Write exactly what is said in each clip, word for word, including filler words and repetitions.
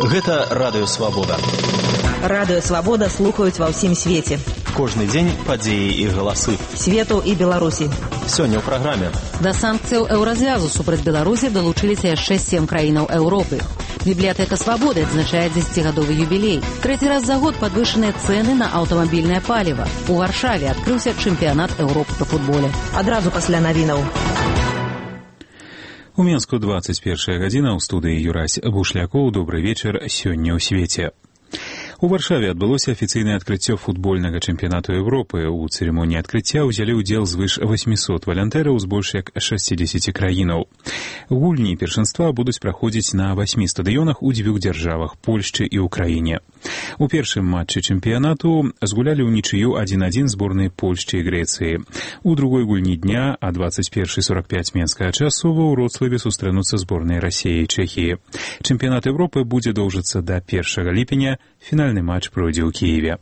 Гэта Радыё Свабода. Радыё Свабода слухаюць ва ўсім свеце. Кожны дзень падзеі і галасы. Свету і Беларусі. Сёння ў праграме. Да санкцыяў еўразвязу супраць Беларусі далучыліся яшчэ сем краінаў Еўропы. Бібліятэка Свабоды адзначае дзесяцігадовы юбілей. Трэці раз за год падвышаныя цэны на аўтамабільнае паліва. У Варшаве адкрыўся чэмпіянат Еўропы па футболе. Адразу пасля навінаў. У Менску двадцать первая гадзіна, ў студыі Юрась Бушлякоў. Добры вечар, сёння ў свеце. У Варшаве адбылося афіцыйнае адкрыццё футбольнага чэмпіянату Еўропы. У цырымоніі адкрыцця ўзялі ўдзел звыш восьмісот валантэраў з больш як шасцідзесяці краінаў. Гульні першынства будуць праходзіць на васьмі стадыёнах у дзвюх дзяржавах — Польшчы і ўкраіне. У першым матчы чэмпіянату згулялі ўнічыю адзін адзін зборныя Польшчы і Грэцыі. У другой гульні дня а двадцать первая сорок пять менскага часу ва Ўроцлаве сустрэнуцца зборныя Расіі і Чэхіі. Чэмпіянат Еўропы будзе доўжыцца да першага ліпеня. Фінальны матч пройдзе ў Кіеве.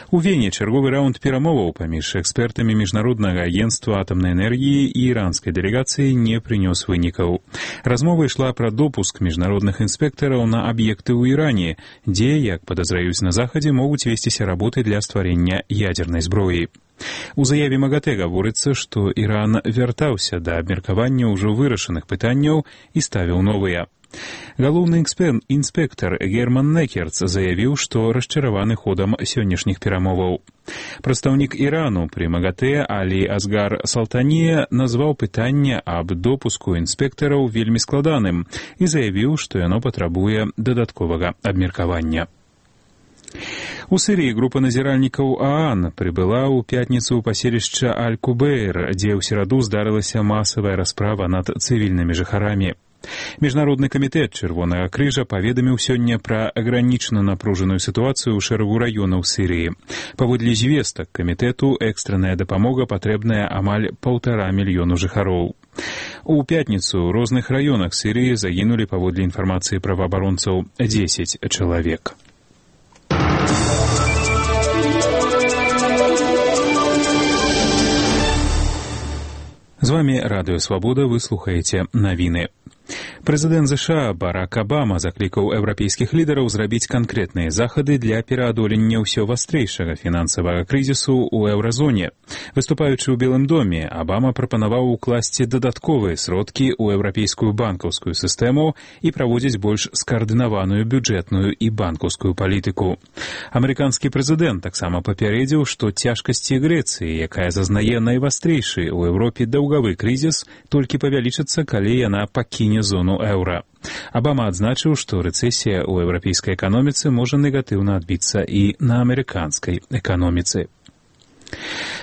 У Вене чарговы раунд перамоваў паміж экспертамі Міжнароднага агенцтва атамнай энергіі і іранскай дэлегацыі не прынёс вынікаў. Размова ішла пра допуск міжнародных інспектараў на аб'екты ў Іране, дзе, як падазраюць на Захадзе, могуць весціся работы для стварэння ядзернай зброі. У заяве МАГАТЭ гаворыцца, што Іран вяртаўся да абмеркавання ўжо вырашаных пытанняў і ставіў новыя. Галоўны інспектар Герман Некерц заявіў, што расчараваны ходам сённяшніх перамоваў. Прадстаўнік Ірану пры МАГАТЭ Алі Асгар Салтанія назваў пытанне аб допуску інспектараў вельмі складаным і заявіў, што яно патрабуе дадатковага абмеркавання. У Сірыі група назіральнікаў ААН прыбыла ў пятніцу ў паселішча Аль-Кубейр, дзе ў сераду здарылася масавая расправа над цывільнымі жыхарамі. Міжнародны камітэт Чырвонага крыжа паведаміў сёння пра агранічана напружаную сітуацыю ў шэрагу раёнаў Сірыі. Паводле звестак камітэту, экстранная дапамога патрэбная амаль паўтара мільёну жыхароў. У пятніцу ў розных раёнах Сірыі загінулі, паводле інфармацыі праваабаронцаў, дзесяць чалавек. З вамі Радыё Свабода, вы слухаеце навіны. Прэзідэнт ЗША Барак Абама заклікаў еўрапейскіх лідараў зрабіць канкрэтныя захады для пераадолення ўсё вастрэйшага фінансавага крызісу ў еўразоне. Выступаючы ў Белым доме, Абама прапанаваў укласці дадатковыя сродкі ў еўрапейскую банкаўскую сістэму і праводзіць больш скаардынаваную бюджэтную і банкаўскую палітыку. Амерыканскі прэзідэнт таксама папярэдзіў, што цяжкасці Грэцыі, якая зазнае найвастрэйшы ў Еўропе даўгавы крызіс, толькі павялічыцца, калі яна пакіне зону еўра. Абама адзначыў, што рэцэсія ў еўрапейскай эканоміцы можа негатыўна адбіцца і на амерыканскай эканоміцы.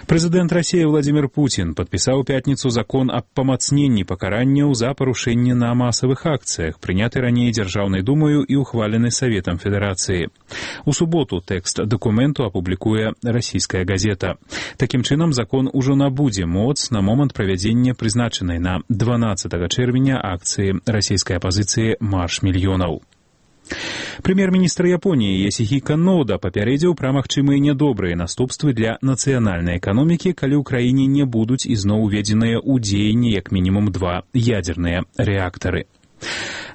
Прэзідэнт Расіі Владзімір Пуцін падпісаў у пятніцу закон аб памацненні пакаранняў за парушэнне на масавых акцыях, прыняты раней Дзяржаўнай думаю і ухвалены Саветам Федэрацыі. У суботу тэкст дакументу апублікуе расійская газета. Такім чынам, закон ужо набудзе моц на момант правядзення прызначанай на дванаццатага чэрвеня акцыі расійскай апазіцыі «Марш мільёнаў». Прэм'ер-міністр Японіі Ёсіхіка Нода папярэдзіў пра магчымыя нядобрыя наступствы для нацыянальнай эканомікі, калі ў краіне не будуць ізноў уведзеныя ў дзеянне як мінімум два ядзерныя рэактары.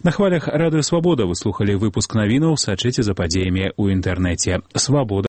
На хвалях Радыё Свабода вы слухалі выпуск навінаў, сачыце за падзеямі ў інтэрнэце. Свабода.